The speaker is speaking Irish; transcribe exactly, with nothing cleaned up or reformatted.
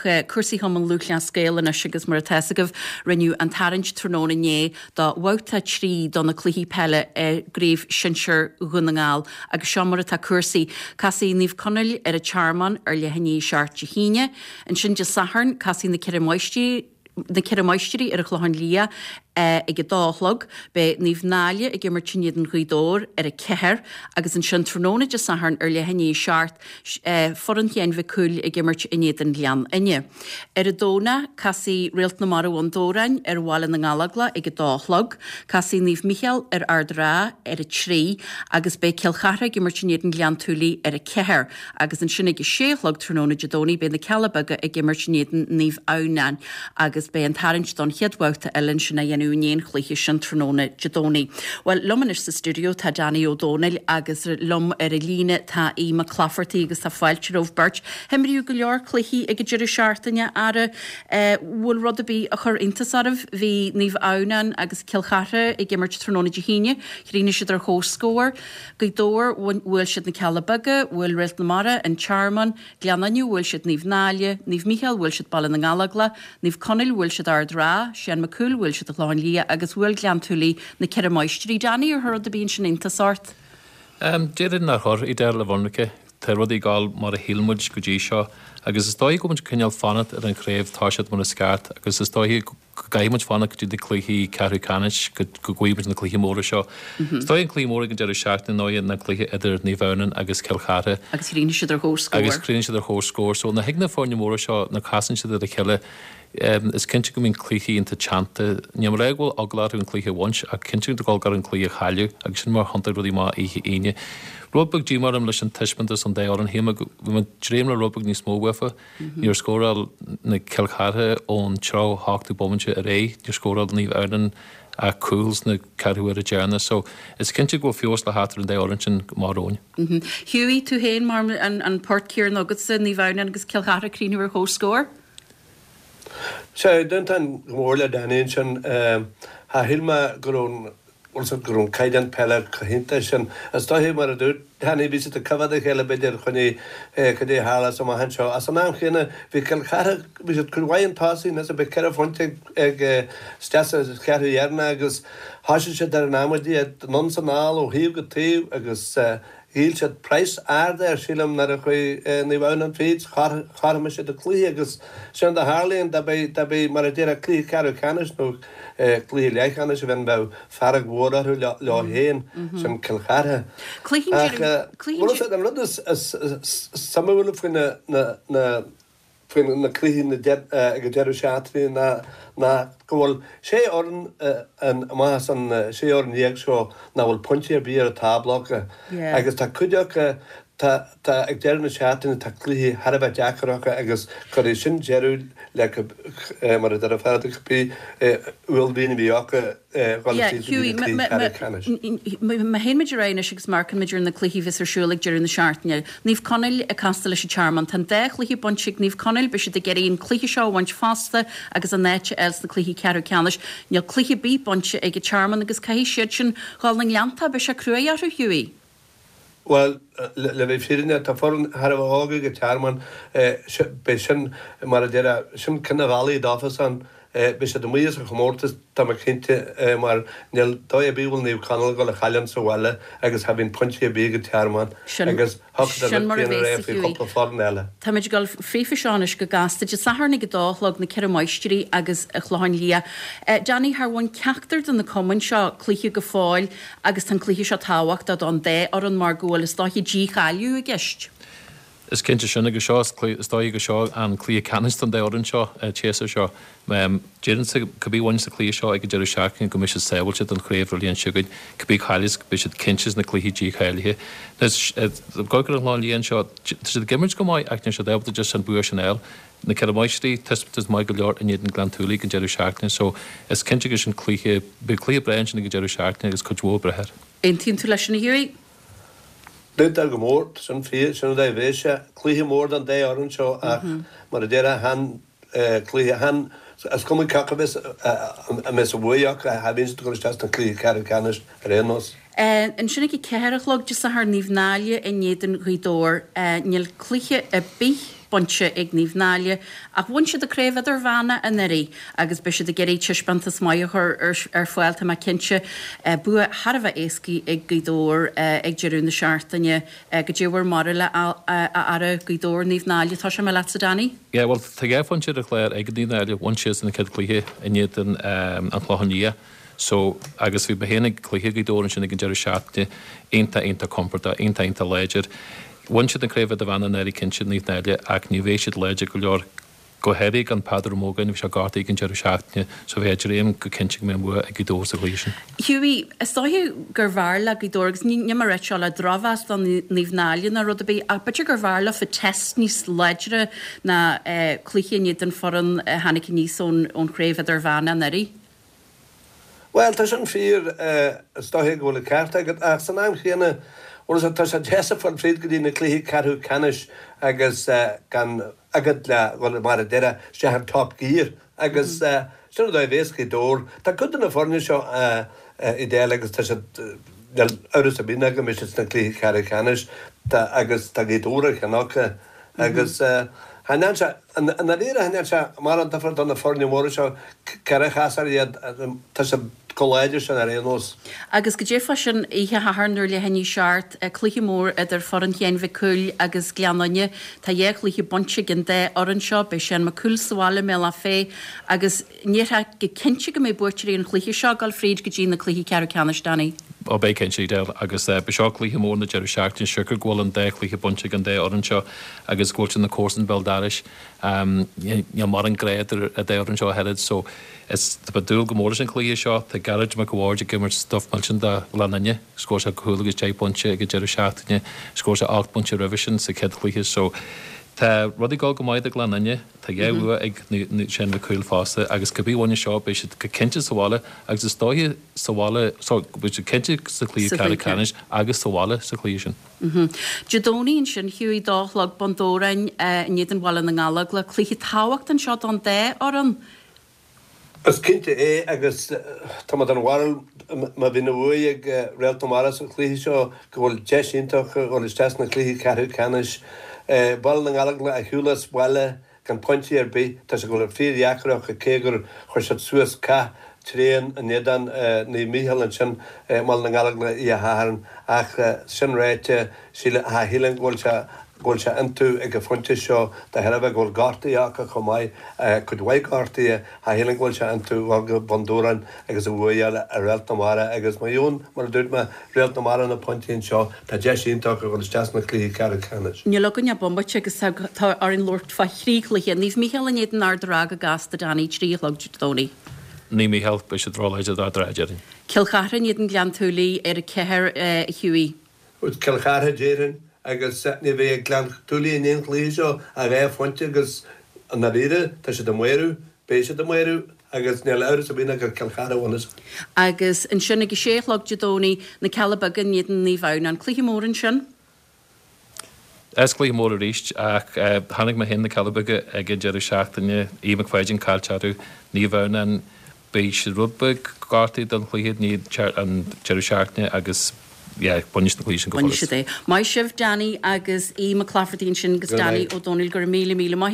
cúrsaí Chumann Lúthchleas Gael anois agus mar atá a fhios agaibh rinneadh an tarraingt tráthnóna inné do bhabhta trí do na cluichí peile i gCraobh Shinsir Dhún na nGall agus seo mar atá cúrsaí. Casfaidh Naomh Conaill ar an Tearmann ar leath i ndiaidh a seacht Dé hAoine. Ansin Dé Sathairn casfaidh na Ceithre Máistrí na Ceithre Máistrí ar an Chlochán Liath ag a dó a chlog. Beidh Naomh Náille ag imirt in éadan Ghaoth Dobhair ar a ceathair agus ansin tráthnóna Dé Sathairn ar leath i ndiaidh a seacht foireann Sheáin Mhic Cumhaill ag imirt in éadan Ghleann Fhinne. Ar an Domhnach casfaidh Réalt na Mara Bhun Dobhráin ar Bhaile na nGallóglach ag a dó a chlog, casfaidh Naomh Mícheál ar Ard Ráth ar a trí agus beidh Cill Chartha ag imirt in éadan Ghleann tSúilí ar a ceathair agus ansin ag a sé a chlog tráthnóna Dé Domhnaigh beidh na Cealla Beaga ag imirt in éadan Naomh Adhamhnáin agus beidh an tarraingt don chéad bhabhta eile ansin á dhéanamh i ndiaidh an chluiche sin tráthnóna Dé Domhnaigh. Bhuel, liom anois sa stiúideo tá Danny Ó Dónaill agus liom ar an líne tá Aodh Mac Laifeartaigh agus tá fáilte romhaibh beirt. Imríodh go leor cluichí ag an deireadh seachtaine ara bhfuil rud ar bith a chuir iontas oraibh, bhí Naomh Adhamhnáin agus Cill Chartha ag imirt tráthnóna Dé hAoine, chríochnaigh siad ar chomhscór. Gaoth Dobhair bhuail siad na Cealla Beaga, bhuail Réalt na Mara, an Tearmann, Gleann Fhinne bhuail siad Naomh Náille, Naomh Mícheál bhuail siad Baile na nGallóglach, Naomh Conaill bhuail siad Ard Ráth, Seán Mac Cumhaill bhuail siad an Clochán Liath agus bhuail Gleann tSúilí na Ceithre Máistrí. Danny ar chuir rud ar bith ansin iontas ort? Um, Déarfainn nár chuir i deir le bhonraice Tá rudaí ag gabháil mar a shíl muid go dtí seo, agus is dóigh go muid cineál fanacht ar an chraobh tá siad mar is ceart, agus is dóigh go gcaithfidh muid fanacht go dtí na cluichí ceathrú ceannais go go bhfaighidh muid na cluichí móra seo. Is dóigh an cluiche mór ag an deireadh seachtaine ná na cluiche idir Naomh Adhamhnáin agus Cill Chartha. Agus chríochnaigh siad ar chomhscór. Agus chríochnaigh siad ar chomhscór, so na thig na foirne móra seo na casann siad ar a chéile Um, is cinnte go mbíonn cluichí iontach teannta. Ní mar go bhfuil eagla orthu an cluiche a bhaint ach cinnte go gar an cluiche a chailleadh agus sin mar thiontaigh rudaí amach oíche Aoine. Rud beag díomá orm leis an taispeántas an dá fhoireann shíl mé dréim le rud beag níos mó uafa. Níor scóráil na Cill Chartha ón tríocha hochtú bomaite ar aghaidh, níor scóráil Naomh Adhamhnáin a cúl sna ceathrú uaire deireanach, so is cinnte go bhfuil feabhas le theacht ar an dá fhoireann sin mar róin. Mm -hmm. Hughie tú féin mar an, an port céanna agatsa Naomh Adhamhnáin agus Cill Chartha críochnú ar chomhscór? Sé d'aontóinn go mór le Danny sin tha shíl mé go raibh go raibh caighdeán peile go hiontach sin. Is dóigh mar a dúirt Danny bhí siad ag coimhéad a chéile b'fhéidir chun cad é tharla amach anseo. As an am chéanna bhí Cill Chartha bhí siad cuid mhaith chun tosaigh na bhí ceithre phointe ag isteach sa cheathrú dheireanach agus thosaigh siad ar an amaidí anonn is anall ó thaobh go taobh agus Dhíol siad praghas ard air sílim nuair a chuaigh Naomh Adhamhnáin fríd chothromaigh siad an cluiche agus sin a tharlaíonn dá mbeidh dá mbeidh mar a déarfá cluiche ceathrú ceannais nó cluiche leathcheannais a bheith bheadh fearg mhór orthu leo féin sin Cill Chartha. Ach an rud is suimiúla faoi na na faoi na cluichí ag an deireadh seachtaine ná ná go bhfuil sé fhoireann amach as an sé fhoireann dhéag seo nach bhfuil pointí ar bith ar an tábla acu agus tá cuid acu tá tá ag deireadh na seachtaine tá cluichí thar a bheith deacair acu agus cuirfidh sin deireadh le mar a deir fear cibé uaillmhian a bhí acu Má théann muid ar aghaidh anois agus amharcann muid ar na cluichí a bheas ar siúl ag deireadh na seachtaine. Naomh Conaill ag castáil leis an Tearmann. Tá an dá chluiche bainte ag Naomh Conaill, beidh siad ag iarraidh an cluiche seo a bhaint fosta agus a n-áit a fháil sna cluichí ceathrú ceannais. Níl cluiche ar bith bainte ag an Tearmann agus caithfidh siad sin dhul na nGleannta, beidh sé cruaidh orthu Hughie. Bhuel, le bheith fírinneach, tá foireann thar a bheith óg ag an Tearmann, beidh sin, mar a déarfá, sin ceann de bhealaí dófasan, beidh siad amuigh as an chomórtas, tá mé cinnte, mar níl dóigh ar bith go bhfuil Naomh Conaill ag dul a chailliúint sa bhaile agus cha bhíonn pointí ar bith ag an Tearmann agus thiocfadh Sin an mar a rud céanna bheas rá faoi Hughie. chúpla foireann eile. Táimid ag dul fríofa seo anois go gasta. Dé Sathairn ag a dó a chlog na Ceithre Máistrí agus an Clochán Liath. Danny, char bhain ceachtar de na cumainn seo cluiche go fóill agus tá an cluiche seo tábhachtach don dá fhoireann mar go bhfuil is dóiche dícháiliú i gceist. Is cinnte sin agus seo is dóigh go seo an cluiche ceannais don dá fhoireann seo séasúr seo. Déarfainnse cibé a bhain sa chluiche seo ag an deireadh seachtaine go mbeidh siad sábháilte don chraobh an bhliain seo chugainn, cibé a chailleas beidh siad cinnte sna cluichí dícháilithe. Go ar an Chlochán Liath anseo, tá siad ag imirt go maith ach níl siad ábalta just an bua sin a fháil. Na Ceithre Máistrí, taispeántas maith go leor in éadan Gleann tSúilí ag an deireadh seachtaine so is cinnte go sin cluiche beidh cluiche breá ansin ag an deireadh seachtaine agus cuid mhór ag brath air. Aontaíonn tú leis sin a Hughie? D'aontóinn go mór, sin fíor, sin an dóigh a bheidh sé. Cluiche mór don dá fhoireann seo ach mar a déarfá chan cluiche, chan, is cuma cé acu a bheas a mbeas an bhuaidh acu, cha bhíonn siad ag dul isteach sna cluichí ceathrú ceannais ar aon nós. Ansin ag a ceathair a chlog Dé Sathairn Naomh Náille in éadan Ghaoth Dobhair. Níl cluiche ar bith bainte ag Naomh Náille ach bhain siad an Craobh Idirmheánach anuraidh agus beidh siad ag iarraidh taispeántas maith a chur ar fáil, tá mé cinnte. Bua thar a bheith éasca ag Gaoth Dobhair ag deireadh na seachtaine. Goidé bhur mbarúil a fheara, Gaoth Dobhair, Naomh Náille, tosóidh mé leatsa Danny? Yeah, bhuel tá dhá phointe ar an chlár ag Naomh Náille, bhain siadsan an chéad chluiche in éadan An Clochán Liath. So, agus bhí mé féin ag cluiche Ghaoth Dobhair ansin ag an deireadh seachtaine, iontach, iontach compordach, iontach, iontach láidir. Bhain siad an Craobh Idirmheánach anuraidh cinnte, Naomh Náille, ach ní bheidh siad láidir go leor, go háirithe gan Peadar Ó Mógáin, bhí sé gortaithe ag an deireadh seachtaine, so bheifeá ag dréim go cinnte go mbeidh an bua ag Gaoth Dobhair sa chluiche sin. Hughie, is dóiche gurbh fhearr le Gaoth Dobhair, agus níl mé ag rá seo le drochmheas do Naomh Náille ná rud ar bith, ach b'fhéidir gurbh fhearr leofa test níos láidre ná cluiche in éadan foireann a tháinig aníos ón Chraobh Idirmheánach anuraidh. Bhuel, tá sin fíor, is dóiche go bhfuil an ceart agat, ach san am chéanna, bhuel, tá sé deas a fáil fríd go dtí na cluichí ceathrú ceannais agus gan agad le dhul, mar a déarfá, isteach in top gear agus sin an dóigh a bhéas Gaoth Dobhair. Tá cuid de na foirne seo Edel agus tá siad, níl amhras ar bith ná go mbeidh siad sna cluichí ceathrú ceannais, tá, agus tá Gaoth Dobhair ar cheann acu agus cha ndéan sé, i ndáiríre, cha ndéan sé mórán difear do na foirne móra seo céard a chasfar iad, tá siad chomh láidir sin ar aon nós. Agus goidé fá sin oíche Shathairn nuair leath i ndiaidh a seacht, cluiche mór idir foireann Sheáin Mhic Cumhaill agus Gleann Fhinne. Tá dhá chluiche bainte ag an dá fhoireann seo, beidh Seán Mac Cumhaill sa bhaile i mBealach Féich agus ndéarfá go cinnte go mbeidh buaiteoirí an chluiche seo ag dul fríd go dtí na cluichí ceathrú ceannais, Danny. Ó beidh cinnte, Edel, agus beidh seo cluiche mór na deireadh seachtaine, siocair go bhfuil an dá chluiche bainte ag an dá fhoireann seo agus go bhfuil siad ina comharsain béal dorais. Níl mórán grá idir an dá fhoireann seo ach oiread so is tá mé ag dúil go mór leis an chluiche seo. Tá Gearóid Mac a' Bhaird ag imirt stuif millteach do Ghleann Fhinne. Scór sé cúl agus deich bpointe ag an deireadh seachtaine. Scór sé ocht bpointe roimhe sin sa chéad chluiche so tá rudaí ag dul go maith do Ghleann Fhinne. Tá dhá bhua ag Seán Mac Cumhaill fosta agus cibé a bhain seo beidh siad go cinnte sa bhaile agus is dóiche sa bhaile, sorry, beidh siad cinnte sa chluiche ceathrú ceannais agus sa bhaile sa chluiche sin. Dé Domhnaigh ansin, Hughie, dó a chlog, Bun Dobhráin in éadan Bhaile na nGallóglach. Cluiche tábhachtach anseo don dá fhoireann. Is cinnte é agus tá mé den bharúil má bhíonn an bhuaidh ag Réalt na Mara sa chluiche seo go bhfuil deis iontach acu dhul isteach sna cluichí ceathrú ceannais. Baile na nGallóglach ar shiúl as baile gan pointí ar bith, tá sé ag dul fíordheacair acu cé gur chuir siad suas cath tréan in éadan Naomh Mícheál ansin i mBaile na nGallóglach oíche Shathairn ach sin ráite sílim go bhfuil sé go bhfuil sé iontu ag an phointe seo de thairbhe go bhfuil gortuithe acu chomh maith, cuid mhaith gortuithe, cha shílim go bhfuil sé iontu dhul go Bun Dobhráin agus an bhuaidh a fháil ar Réalt na Mara agus má gheobhann, mar a dúirt mé, Réalt na Mara na pointí anseo, tá deis iontach acu dhul isteach sna cluichí ceathrú ceannais. Níl againn ach bomaite agus tá orainn labhairt fá thrí chluiche, Naomh Mícheál in éadan Ard an Rátha go gasta, Danny, trí a chlog Dé Domhnaigh. Naomh Mícheál, beidh siad róláidir d'Ard an Rátha, déarfainn. Cill Chartha in éadan Gleann tSúilí ar a ceathair, a Hughie. Cill Chartha, déarfainn, agus ní bheidh ag Gleann tSúilí in aon chluiche seo ach dhá phointe agus i ndáiríre tá siad ag maoradh, beidh siad ag maoradh agus níl amhras ar bith ná gur Cill Chartha a bhainfeas. Agus ansin ag a sé a chlog Dé Domhnaigh, Na Cealla Beaga in éadan Naomh Adhamhnáin. Cluiche mór ansin. Is cluiche mór arís ach chonaic mé féin Na Cealla Beaga ag an deireadh seachtaine, Aoidh McFadyen caillte orthu, Naomh Adhamhnáin, beidh siad rud beag gortaithe don chluiche i ndiaidh an deireadh seachtaine agus yeah, bainfidh siad an cluiche sin go Bainfidh follas. siad é. Maith sibh, Danny agus Aodh Mac Laifeartaigh ansin agus Go raibh Danny maith. Ó Dónaill, go raibh míle míle maith.